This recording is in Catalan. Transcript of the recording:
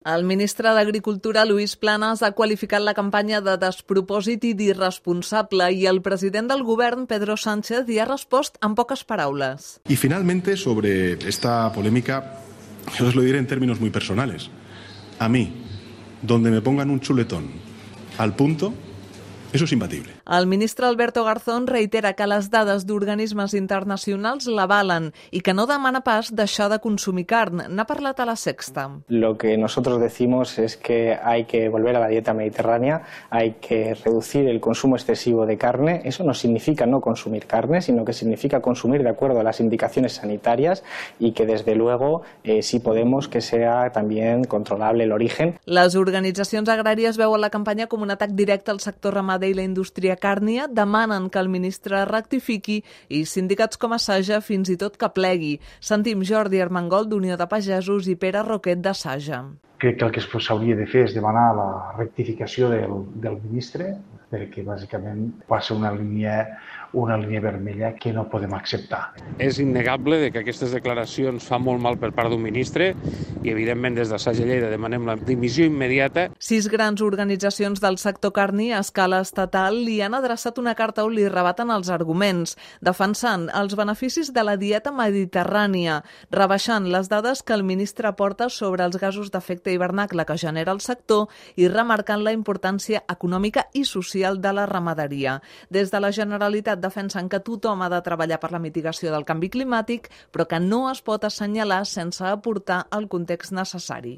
El ministre d'Agricultura, Luis Planas, ha qualificat la campanya de despropòsit i d'irresponsable i el president del govern, Pedro Sánchez, hi ha respost amb poques paraules. Y finalmente, sobre esta polémica, yo os lo diré en términos muy personales. A mí, donde me pongan un chuletón al punto, eso es imbatible. El ministre Alberto Garzón reitera que les dades d'organismes internacionals l'avalen i que no demana pas deixar de consumir carn. N'ha parlat a La Sexta. Lo que nosotros decimos es que hay que volver a la dieta mediterránea, hay que reducir el consumo excesivo de carne. Eso no significa no consumir carne, sino que significa consumir de acuerdo a las indicaciones sanitarias y que desde luego sí podemos que sea también controlable el origen. Les organitzacions agràries veuen la campanya com un atac directe al sector ramader i la indústria càrnia, demanen que el ministre rectifiqui i sindicats com Saja fins i tot que plegui. Sentim Jordi Armengol d'Unió de Pagesos i Pere Roquet de Saja. Crec que el que s'hauria de fer és demanar la rectificació del ministre, perquè bàsicament passa una línia vermella que no podem acceptar. És innegable que aquestes declaracions fan molt mal per part d'un ministre i, evidentment, des de Saja Lleida demanem la dimissió immediata. 6 grans organitzacions del sector carni a escala estatal li han adreçat una carta on li rebaten els arguments, defensant els beneficis de la dieta mediterrània, rebaixant les dades que el ministre aporta sobre els gasos d'efecte hivernacle que genera el sector i remarcant la importància econòmica i social de la ramaderia. Des de la Generalitat defensen que tothom ha de treballar per la mitigació del canvi climàtic, però que no es pot assenyalar sense aportar el context necessari.